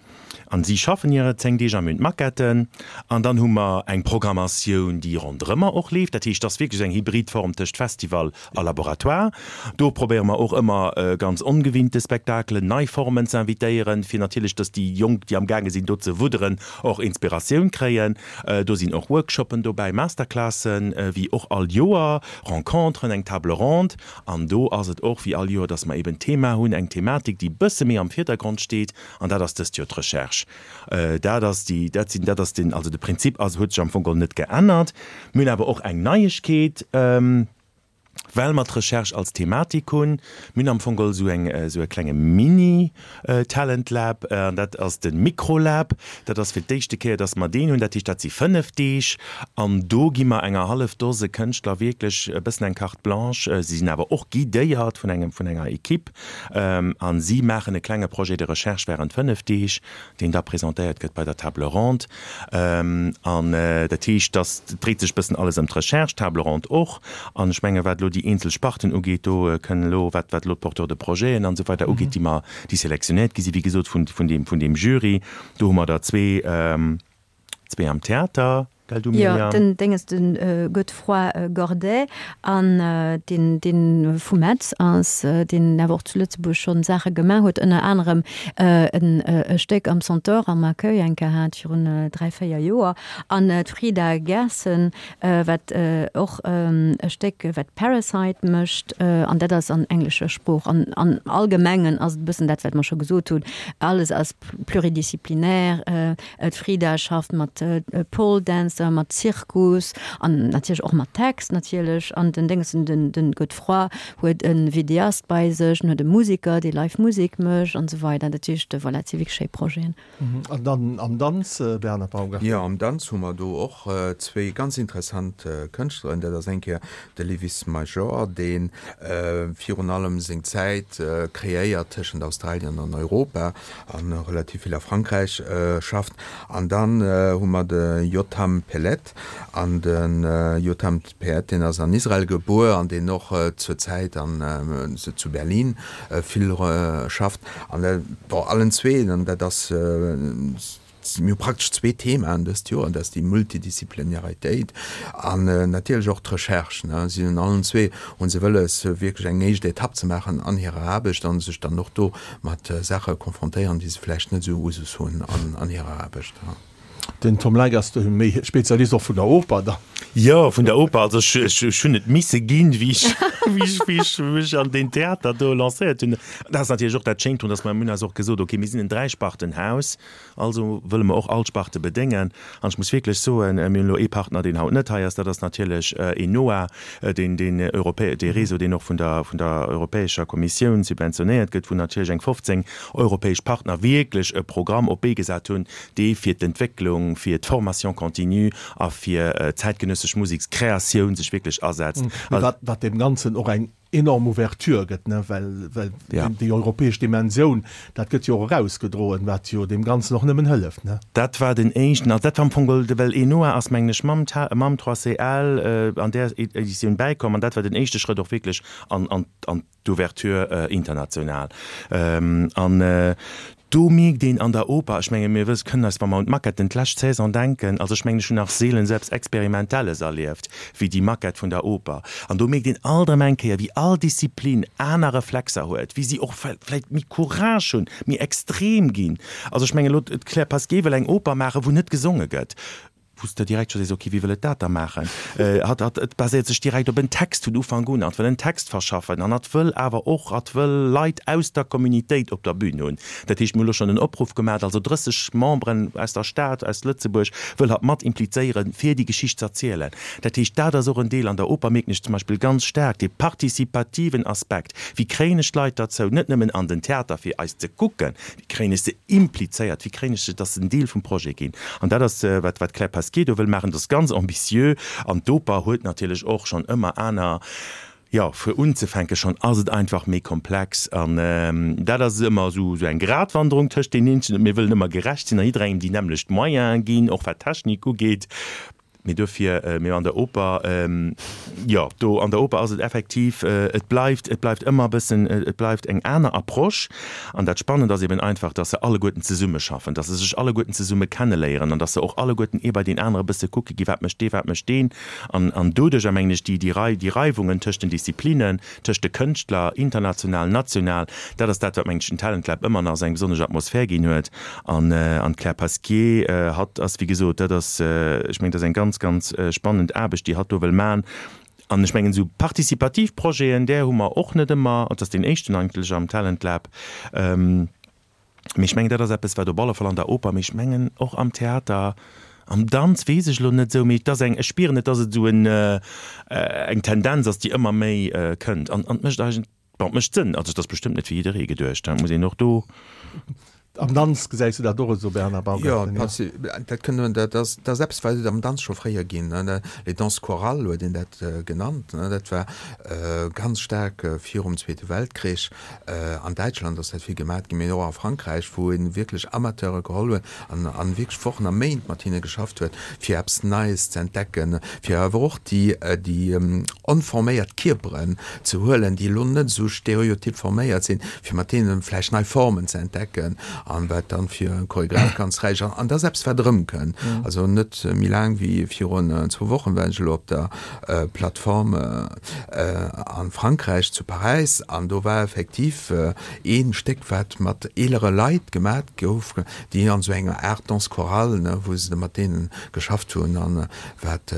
An si schaffen hire 10 Deeg a mir hunn d'Maquetten. An dann hu mer eng Programmatioun, déi ronderëmmer och leeft. Dat heescht, et ass wierklech eng hybrid Form tëscht Festival a Laboratoire. Do probéiere mer och ëmmer ganz ongewinnte Spektakelen, nei Formen ze invitéieren, fir natierlech, dass déi Jonk, déi amgaange sinn do ze wudderen, och Inspiratioun kréien. Do sinn och Workshoppen dobäi, Masterclassen, wéi och all Joer, Renconteren, eng Table ronde. An do ass et och wéi all Joer, dass mer eben Thema hunn, eng Thematik, déi e bësse méi am Virdergrond steet, an dat ass dëst Joer d'Recherche. Dat ass déi, dat sinn, dat ass den, also de Prinzip ass, huet sech am Fong geholl net geännert. Mir hunn awer och eng Neiegkeet. Well mer d'Recherche als Thematik hunn, mir hunn am Fong geholl esou eng, esou e klenge Mini-Talent Lab, an dat ass de Microlab. Dat ass fir d'éischte Kéier, dass mer deen hunn. Dat heescht, dat si 5 Deeg an do gi mer enger hallef Dose Kënschtler wierklech e bëssen eng Carte blanche. Si sinn awer och guidéiert vun engem, vun enger Equipe a si maachen e klenge Projet de recherche während 5 Deeg. deen da presentéiert gëtt bei der Table ronde. An dat heescht, dass, et dréit sech e bëssen alles ëm d'Recherche, d'Table ronde och. An ech menge wat elo déi eenzel Sparten ugeet, do kënnen elo, wat wat elo d'Porteurs de projeten an esou weider ugeet, déi mer, déi sélectionnéiert gi sinn, wéi gesot, vun vun deem vun deem Jury, do hu mer der zwee, zwee am Theater. Gell du Jo, Myriam? den Dénges, de Godefroid Gordet an deen, deen vu Metz ass, deen awer och zu Lëtzebuerg schonn Saache gemaach huet, ënner anerem en e Stéck am Centaure am Accueil eng Kéier hat virun 3, 4 Joer, an d'Frida Gerson, wat och e Stéck wat Parasite mécht, an dat ass an englescher Sprooch. An am Allgemengen ass et e bëssen dat, wat mer scho gesot hunn, alles ass pluridisciplinaire, D'Frida schafft mat Pole Dancer, mat Zirkus an natierlech och mat Text natierlech. An den Déngessen, den den Godefroid huet e Videast bei sech, en huet e Musiker, dee live Musek mécht an esou weider. Dat heescht, voilà, et si wierklech schéi Projeten. An dann am Danz, Bernhard Baumgartner? Jo, am Danz hu mer do och zwéi ganz interessant Kënschtleren. Dat ass eng Kéier de Lewis Major, dee virun allem seng Zäit kreéiert tëschent Australien an Europa a relativ vill a Frankräich schafft. An dann hu mer de Yotam Peled. An de Yotam Peled, deen ass an Israel gebuer an deen och zur Zäit an zu Berlin vill schafft. An bon, allen zwee, an dat ass Mir hu praktesch zwee Themaen dëst Joer, dat ass déi Multidisziplinaritéit an natierlech och d'Recherche. Si hunn allen zwee hu se wëlles, wierklech eng éischt Etapp ze maachen an hirer Aarbecht a sech dann och do mat Saache konfrontéieren, déi se vläicht net esou Usus hunn an hirer Aarbecht. Den Tom Leick ass do méi Spezialist och vun der Oper dann. Jo, vun der Oper. Also ech, ech hunn et misse ginn, wéi ech, wéi ech, wéi ech mech an deen Theater do lancéiert hunn. Dat ass natierlech och dat Schéint drun, datt mer, mir hunn eis och gesot, okay, mir sinn en Dräispartenhaus, Also wëlle mer och all Sparte bedéngen. An ech muss wierklech soen, mir hunn elo ee Partner, deen haut net hei ass, dat ass natierlech ENOA, deen, deen europä-, dee Réseau, deen och vun der, vun der Europäescher Kommissioun subventionéiert gëtt, wou natierlech eng 15 europäesch Partner wierklech e Programm op d'Bee gesat hunn, dee fir d'Entwécklung, fir d'Formation continue a fir zäitgenëssesch Musekskreatioun sech wierklech asetzt. Wat, wat deem Ganzen och eng enorm Ouverture gëtt, ne, well, well ja. déi europäesch Dimensioun, dat gëtt jo och erausgedroen, wat jo deem Ganzen och nëmmen hëlleft, ne. Dat war den éischten, also dat war am Fong geholl, well ENOA ass, mengen ech, mam, mam 3CL äh, an där Editioun bäikomm an dat war den éischte Schrëtt och wierklech an, an, an d'Ouverture äh, international. Ähm, an äh, Do mierkt een an der Oper, ech menge mir wëss, kënnen eis, wa mer un d'Maquetten d'lescht Saison denken, also ech mengen ech hunn nach seelen esou eppes Experimentelles erlieft wéi déi Maquette vun der Oper. An do mierkt een alt erëm eng Kéier, wéi all Disziplin aner Reflexer huet, wéi si och vläicht méi Courage hunn, méi extrem ginn. Also ech mengen elo d'Claire Pasquier wëll eng Oper maachen, wou net gesonge gëtt. wou s de direkt scho sees, ok, wéi wëll et dat da maachen? Hatt, hatt, et baséiert sech direkt op en Text vun Ufank un, hatt wëll en Text verschaffen an hatt wëll awer och, hatt wëll Leit aus der Communitéit op der Bühn hunn. Dat heescht, mir hu lo schonn en Opruff gemaach, also 30 Memberen aus der Stad, aus Lëtzebuerg wëll hatt mat implizéieren, fir déi Geschicht z'erzielen. Dat heescht, dat ass och en Deel an der Oper, mierken ech zum Beispill ganz staark, dee participativen Aspekt. Wéi kréien ech d'Leit derzou, net nëmmen an den Theater fir eis ze kucken, wéi kréien ech se implizéiert, wéi kréien ech se, dass se en Deel vum Projet ginn? An dat ass, wat d'Claire Pasquier do wëll maachen. Dat ass ganz ambitieux. An d'Oper huet natierlech och schonn ëmmer aner, jo, fir unzefänke schonn ass et einfach méi komplex. An dat ass ëmmer esou eng Gratwanderung tëscht deenen eenzelen. Mir wëllen ëmmer gerecht sinn a jidderengem déi nämmlecht Moyene ginn, och wat d'Technik ugeet. Mee dofir, mee an der Oper, jo, do an der Oper ass et effektiv, et bleift, et bleift ëmmer e bëssen, et bleift eng aner Approche. An dat Spannend ass eben einfach, dass se alleguerten zesummeschaffen, dass se sech alleguerten zesumme kenneléieren an dass se och alleguerten ee bei deen anere e bësse kucke gi, wat mécht dee, wat mécht deen. An, an doduercher, mengen ech, déi, déi Rei, déi Reiwungen tëscht den Disziplinen, tëscht de Kënschtler, international, national, dat ass dat, wat, mengen ech, den Talent Lab ëmmer nach esou eng besonnesch Atmosphär ginn huet. An, an d'Claire Pasquier, hatt ass, wéi gesot, dat ass, ech mengen, dat ass eng ganz, ganz spannend Aarbecht, déi hatt do wëll maachen. An ech mengen, esou participativ Projeten, där hu mer och net ëmmer. Et ass deen éischten eigentlech am Talent Lab. Mee ech mengen, dat ass eppes, wat op alle Fall an der Oper, mee ech mengen och am Theater, am Danz weess ech elo net esou, mee et ass eng, ech spieren et, dass et esou en, eng Tendenz ass, déi ëmmer méi kënnt. An, an et mécht eigent, bon, et mécht Sënn. Also et ass bestëmmt net fir jidderee geduecht, dat muss een och do. Am Danz gesäis du dat och esou, Bernard Baumgarten? Jo, dat kënnt, dat ass, dat ass eppes, wat et am Danz scho fréier ginn, les danses chorales huet een dat genannt, dat war ganz staark virum Zweete Weltkrich. An Däitschland ass dat vill gemat ginn, mee och a Frankräich, wou ee wierklech Amateure geholl huet an an wierklech Wochen a Méint mat hinne geschafft huet, fir eppes Neies ze entdecken, fir awer och déi déi onforméiert Kierperen ze huelen, déi elo net esou stereotyp forméiert sinn, fir mat deene vläicht nei Formen ze entdecken, an wat dann fir e Choreograph ganz räich ass. An dat ass eppes, wat erëmkënnt. Also net méi laang wéi virun zwou Wochen war ech elo op der Plateforme a Frankräich, zu Paräis, an do war effektiv ee Stéck, wat mat eelere Leit gemat gouf, déi an esou enger Aart Danse chorale, ne, wou se mat deene geschafft hunn an wat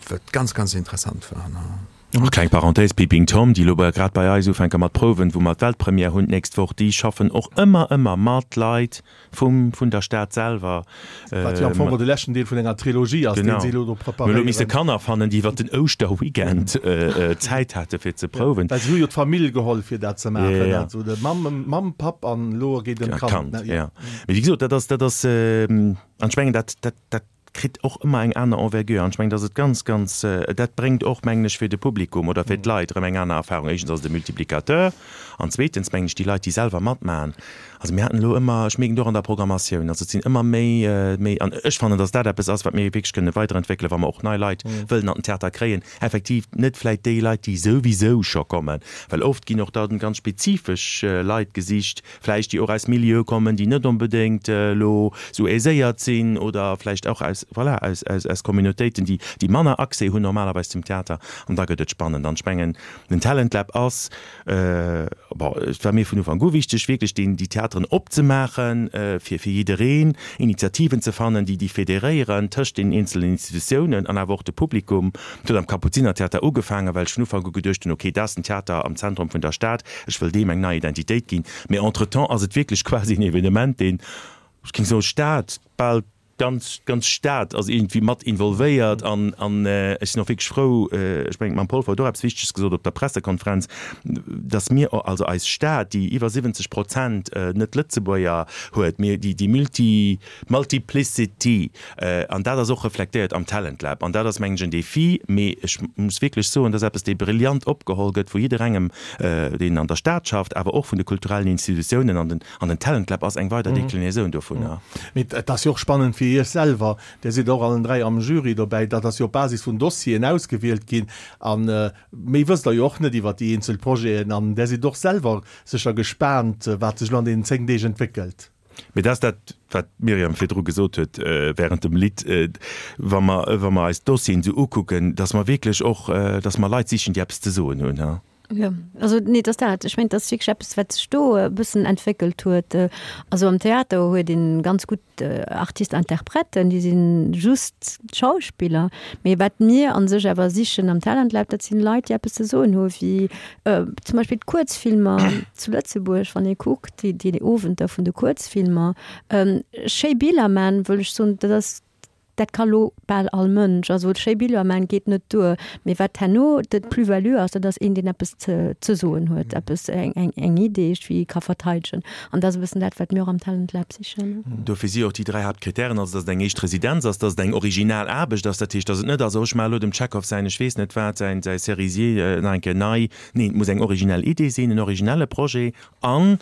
wat ganz, ganz interessant war, ne. Och kleng Parenthèse, Peeping Tom, déi elo grad bei eis ufänke mat prouwen, wou mer d'Weltpremière hunn d'nächst Woch, déi schaffen och ëmmer, ëmmer mat Leit Vum, vun der Stad selwer. Wat jo am Fong och de leschten Deel vun enger Trilogie ass, deen si elo do preparéieren. Mir hu elo misse Kanner fannen, déi iwwer den Ouschterweekend Zäit hate fir ze prouwen. Well si hu jo d'Famill geholl fir dat ze maachen, also de Mamm, Mamm, Papp an elo geet ëm d'Kand. D'Kand, jo. Mee wéi gesot, dat ass, dat ass, an ech mengen, dat, dat, dat kritt och ëmmer eng aner Envergure an ech mengen, dass et ganz, ganz, dat bréngt och, mengen ech, fir de Publikum oder fir d'Leit erëm eng aner Erfahrung. Éischtens ass et e Multiplicateur an zweetens, mengen ech, déi Leit, déi selwer matmachen, also mir haten elo ëmmer, ech mierken et och an der Programmatioun, also et sinn ëmmer méi, méi, an ech fannen, dass dat eppes ass, wat mir wierklech kënne weiderentwéckelen, wa mer och nei Leit wëllen an den Theater kréien, effektiv net vläicht déi Leit, déi souwisou scho kommen, well oft ginn och da ganz spezifesch Leit gesicht, vläicht déi och aus Milieue kommen, déi net onbedéngt elo esou aiséiert sinn oder vläicht och aus, voilà, aus, aus, aus Communautéiten, déi, déi manner Accès hunn normalerweis zum Theater. An da gëtt et spannend. An ech mengen, den Talent Lab ass, bon, et war mir vun Ufank u wichteg, wierklech deen, déi Theateren opzemaachen fir, fir jiddereen, Initiativen ze fannen, déi, déi federéieren tëscht den eenzelen Institutiounen an awer och de Publikum. Et huet am Kapuzinertheater ugefaangen, well ech vun Ufank u geduecht hunn, okay, dat ass den Theater am Zentrum vun der Stad, Ech wëll deem eng nei Identitéit ginn. Mee entretemps ass et wierklech quasi en Evenement, deen, ech géing soen, Stad, bal d'ganz, d'ganz Stad ass iergendwéi mat involvéiert. An, an ech sinn och wierklech frou, ech mengen, d'Mme Polfer huet och eppes Wichteges gesot op der Pressekonferenz, dass mir, also eis Stad, déi iwwer 70 Prozent Net-Lëtzebuerger huet, mir, déi, déi multi, Multiplicity, an dat ass och reflektéiert am Talent Lab. An dat ass, mengen ech, en Défi, mee ech muss wierklech soen, dat ass eppes, dee brillant opgeholl gëtt vu jidderengem, deen an der Stad schafft, awer och vun de kulturellen Institutiounen. An den, an den Talent Lab ass eng weider Déclinaison dovunner. Mee et ass jo och spannend fir Iech selwer, Dir sidd och allen 3 am Jury dobäi, dat ass jo op Basis vun Dossieren ausgewielt ginn. A méi wësst Der jo och net iwwert déi eenzel Projeten. An Der sidd och selwer sécher gespaant, wat sech elo an deenen 10 Deeg entwéckelt. Mee dat ass dat, wat d'Myriam virdru gesot huet während dem Lidd, wa mer, wa mer eis d'Dossieren esou ukucken, dass mer wierklech och, dass mer Leit sichen, déi eppes ze soen hunn. Jo, also nee, et ass dat. Ech mengen, et ass wierklech eppes, wat sech do e bëssen entwéckelt huet. Also am Theater huet ee ganz gutt Artiste-interprèten, déi si just Schauspiller. Mee wat mir a sech awer sichen am Talent Lab, dat sinn Leit, déi eppes ze soen hu wéi zum Beispill d'Kuerzfilmer zu Lëtzebuerg, wann ee kuckt, déi déi Owenter vun de Kuerzfilmer. Schéi Biller man, wëll ech soen, dat ass Dat ka lo bal all Mënsch. Also schéi Biller man geet net duer. Mee wat herno de Plus-value ass, dat ass een, deen eppes ze ze soen huet, eppes, eng eng eng Idee, wéi e ka verteidegen. An dat ass e bëssen dat, wat mir och am Talent Lab sichen. Dofir si och déi 3 Haaptkritären, also datt et eng éischt Residenz ass, datt et eng original Aarbecht ass, dat heescht, datt et net ass, oh ech maache lo dem Tschechow säin ech weess net wat, säin säi Cerisier nach eng Kéier nei. Neen, et muss eng originell Idee sinn, en originelle Projet an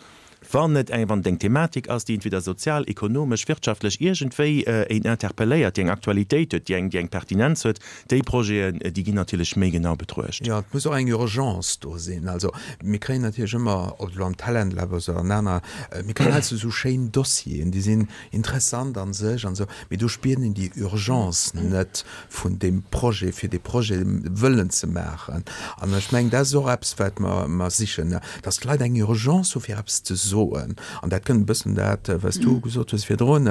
Wann et eng, wann et eng Thematik ass, déi entweder sozial, ekonomesch, wirtschaftlech iergendwéi een interpelléiert, déi eng Aktualitéit huet, déi eng, déi eng Pertinenz huet, déi Projeten, déi ginn natierlech méi genau betruecht. Jo, et muss och eng Urgence do sinn. Also mir kréien natierlech ëmmer, ob et elo am Talent Lab ass oder an aner, mir kréien heiansdo esou schéin Dossieren, déi sinn interessant a sech an esou, mee do spiert een déi Urgence net vun deem Projet, fir dee Projet wëllen ze maachen. An ech mengen, dat ass och eppes, wat mer, mer sichen, dass d'Leit eng Urgence hu fir eppes ze soen. An dat kënnt e bëssen dat, wat s du gesot hues virdrun,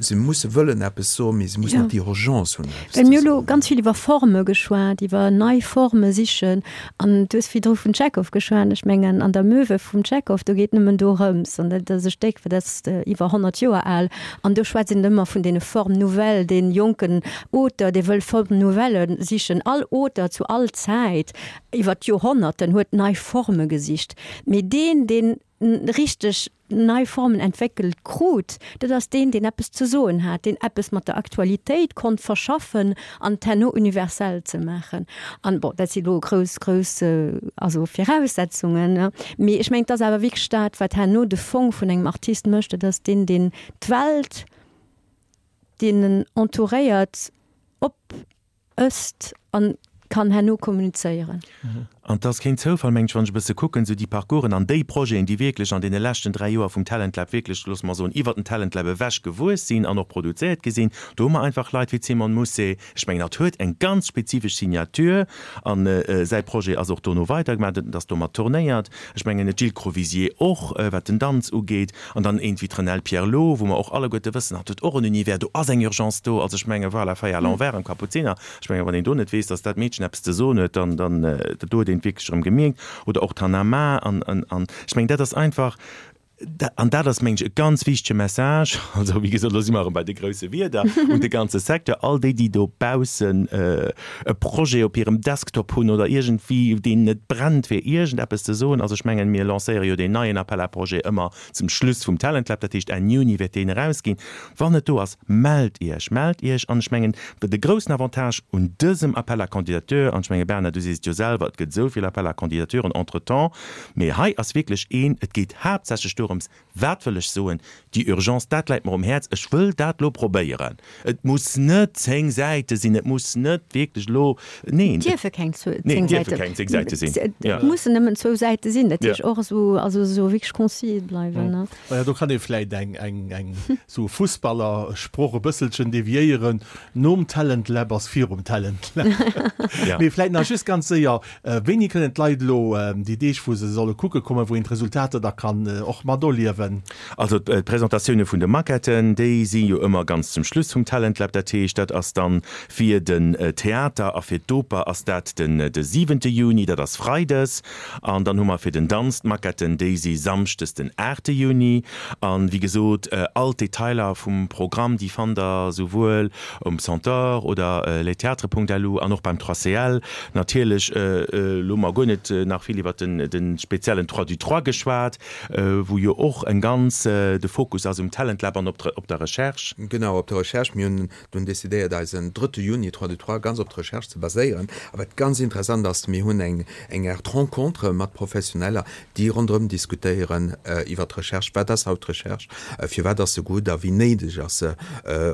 se musse wëllen eppes soen, mee se mussen och déi Urgence hunn, eppes ze soen. Mir hu lo ganz vill iwwer Forme geschwat, iwwer nei Forme sichen. An du hues virdru vun Tschechow geschwat. Ech mengen, an der Möwe vum Tschechow, do geet nëmmen dorëms, an dat ass e Stéck, dat ass iwwer 100 Joer al, an do schwätzt een ëmmer vun deene Formes nouvelles, dee jonken Auteur, dee wëll Formes nouvelles sichen. All Auteur zu all Zäit iwwer d'Joerhonnerten huet nei Forme gesicht. Mee deen, deen richteg nei Formen entwéckelt krut, dat ass deen, deen eppes ze soen hat, deen eppes mat der Aktualitéit konnt verschaffen an et herno universell ze maachen. An, bon, dat si lo grouss, grouss, also Viraussetzungen, mee ech mengen, et ass awer wierklech dat, wat herno de Fong vun engem Artist mécht, dat ass deen, deen d'Welt, deen en entouréiert, op ësst an kann herno kommunizéieren. An 't ass keen Zoufall, mengen ech, wann ech e bësse kucken, esou déi Parcoursen an déi Projeten, déi wierklech an deene leschten 3 Joer vum Talent Lab wierklech, loosse mer soen, iwwert den Talent Lab ewech gewuess sinn an och produzéiert gi sinn. Do hu mer einfach Leit wéi d'Simone Mousset. Ech mengen, hatt huet eng ganz spezifesch Signature an säi Projet ass och dono weidergemaach, et ass domat tournéiert. Ech mengen, d'Jill Crovisier och, wat den Danz ugeet. An dann eent wéi d'Renelle Pierlot, wou mer och alleguerte wëssen, hatt huet och en Univers, do ass eng Urgence do. Also ech menge voilà, Feuille à l'envers am Kapuziner. Ech menge wann een do net weess, datt dat Meedchen eppes ze soen huet, dann, dann, do huet een et wierklech erëm gemierkt. Oder och d'Hannah Ma. An, an, an ech mengen, dat ass einfach, an dat ass, mengen ech, e ganz wichtege Message, also wéi gesot, elo si mer erëm bei de grousse Wierder, un de ganze Secteur, all déi, déi dobaussen e Projet op hirem Desktop hunn oder iergendwéi, deenen et brennt, fir iergendeppes ze soen. Also ech mengen, mir lancéiere jo deen neien Appel à projets ëmmer zum Schluss vum Talent Lab, dat heescht Enn Juni wäert deen erausginn. Wann et do ass, mellt Iech, mellt Iech. An ech mengen, de groussen Avantage un dësem Appel à candidatures, an ech menge Bernard, du sees et jo selwer, et gëtt esou vill Appels à candidatures entretemps, Mee hei ass wierklech een, et geet haaptsächlech dorëms, wat wëll ech soen, déi Urgence, dat läit mer um Häerz, ech wëll dat elo probéieren. Et muss net 10 Säite sinn, et muss net wierklech elo, neen. Et dierfe keng 10 Säite, keng 10 Säite sinn. Et mussen nëmmen zwou Säite sinn, dat heescht och esou, also esou wierklech concis bleiwen. Maja, do kann ee vläit eng, eng, eng esou Fussballersproch e bësselchen deviéieren, Nom Talent Lab ass virum Talent Lab. Mee vläit nach just ganz séier, Wéini kënnen d'Leit elo déi Deeg, wou se solle kucke kommen, wou een d'Resultater da kann och mat erliewen? Also d'Presentatioune vun de Maquetten, déi si jo ëmmer ganz zum Schluss vum Talent Lab. Dat heescht, dat ass dann fir den Theater a fir d'Oper ass dat den de siwente Juni, dat ass freides. An dann hu mer fir den Danz d'Maquetten, déi si samschdes den aachte Juni. An wéi gesot, all d'Detailer vum Programm, déi fannt der souwuel um Centaure oder lestheatres.lu an och beim 3CL. Natierlech, elo hu mer guer net nach vill iwwert de speziellen Trois du Trois geschwat, wou jo och eng ganz, de Fokus ass um Talent Lab an op der Recherche. Genau, op der Recherche. Mir hunn dunn decidéiert, eisen drëtte Juni Trois du Trois ganz op d'Recherche ze baséieren. A wat ganz interessant ass, mir hunn eng eng Aart Rencontre mat Professioneller, déi ronderëm diskutéieren iwwert d'Recherche. Wat ass haut d'Recherche? Firwat ass se gutt a wéi néideg ass se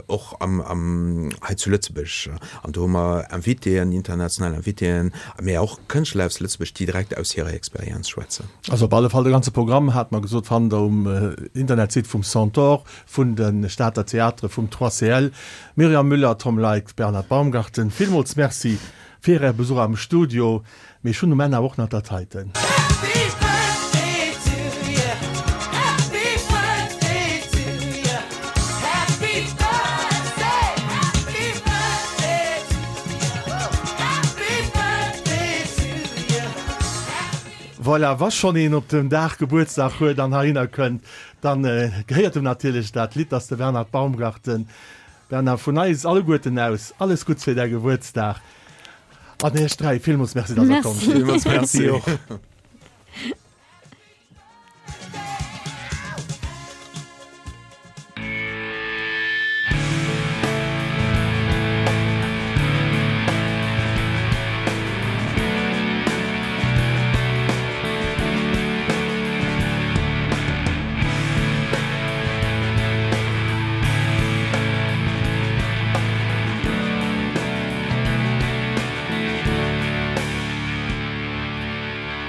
och am, am, hei zu Lëtzebuerg? An do hu mer Invitéen, international Invitéen, mä och Kënschtler aus Lëtzebuerg, déi direkt aus hirer Experienz schwätzen. Also op alle Fall de ganze Programm, hat mer gesot, fannt der um Internetsite vum Centaure, vun de Stater Theatere, vum 3CL. Myriam Müller, Tom Leick, Bernhard Baumgarten, villmools Merci. Fir Äre Besuch am Studio. Mee ech hunn um Enn awer och nach dat heiten. Voilà, wa schonn een op dem Dag Gebuertsdag huet an heihinner kënnt, dann gehéiert em natierlech dat Lidd, dass de Bernhard Baumgarten. Bernard, vun eis alleguerten aus alles Gutts fir däi Gebuertsdag an iech 3 villmools Merci, dass der komm sidd. Villmools Merci och.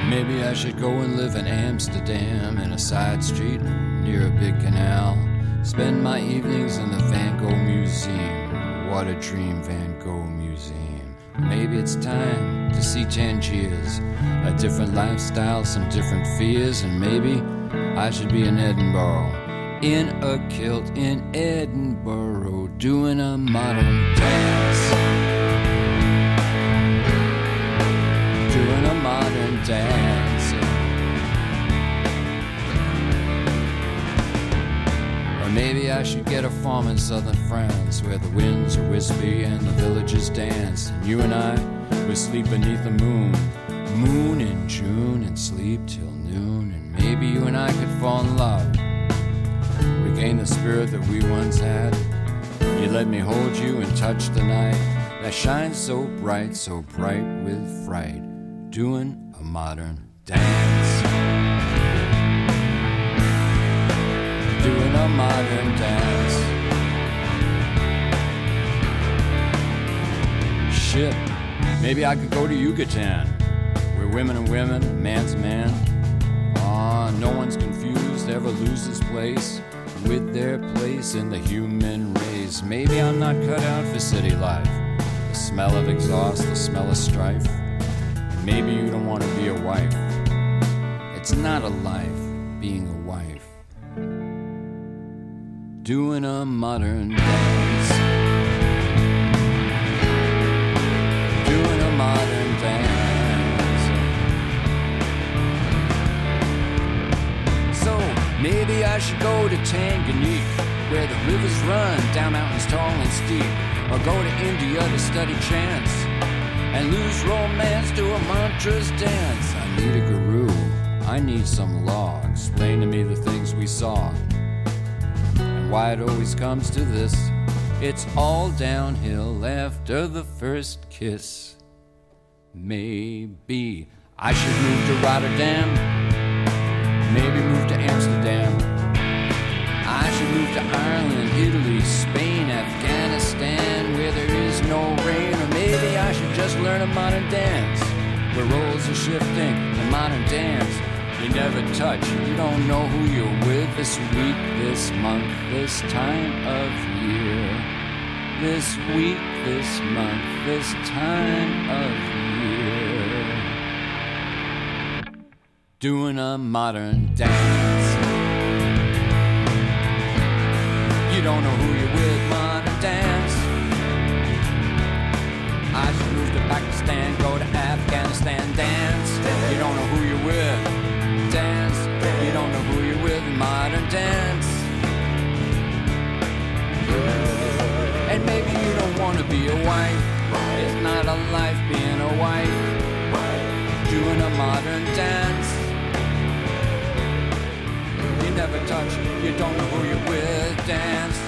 Maybe I should go and live in Amsterdam in a side street near a big canal. Spend my evenings in the Van Gogh Museum. What a dream Van Gogh Museum. Maybe it's time to see Tangiers, a different lifestyle, some different fears, and maybe I should be in Edinburgh in a kilt in Edinburgh doing a modern dance. Doing a modern dance. Or maybe I should get a farm in southern France where the winds are wispy and the villages dance. And you and I would sleep beneath the moon, moon in June and sleep till noon. And maybe you and I could fall in love, regain the spirit that we once had. You let me hold you and touch the night that shines so bright, so bright with fright, doing a modern dance. Doing a modern dance. Shit, maybe I could go to Yucatan, where women are women, man's man. Ah, no one's confused, ever loses place with their place in the human race. Maybe I'm not cut out for city life. The smell of exhaust, the smell of strife. And maybe you don't want to be a wife. It's not a life being a wife. Doing a modern dance. Doing a modern dance. So maybe I should go to Tanganyika, where the rivers run down mountains tall and steep, or go to India to study chants and lose romance to a mantra's dance. I need a guru, I need some law. Explain to me the things we saw and why it always comes to this. It's all downhill after the first kiss. Maybe I should move to Rotterdam, maybe move to Amsterdam. I should move to Ireland, Italy, Spain, Afghanistan, where there is no rain. Or maybe I should just learn a modern dance, where roles are shifting, the modern dance. You never touch, you don't know who you're with this week, this month, this time of year. This week, this month, this time of year. Doing a modern dance. You don't know who you're with, modern dance. I should move to Pakistan, go to Afghanistan, dance. You don't know who you're with, dance. You don't know who you're with, modern dance. And maybe you don't wanna be a wife. It's not a life being a wife. Doing a modern dance. You never touch, you don't know who you're with, dance.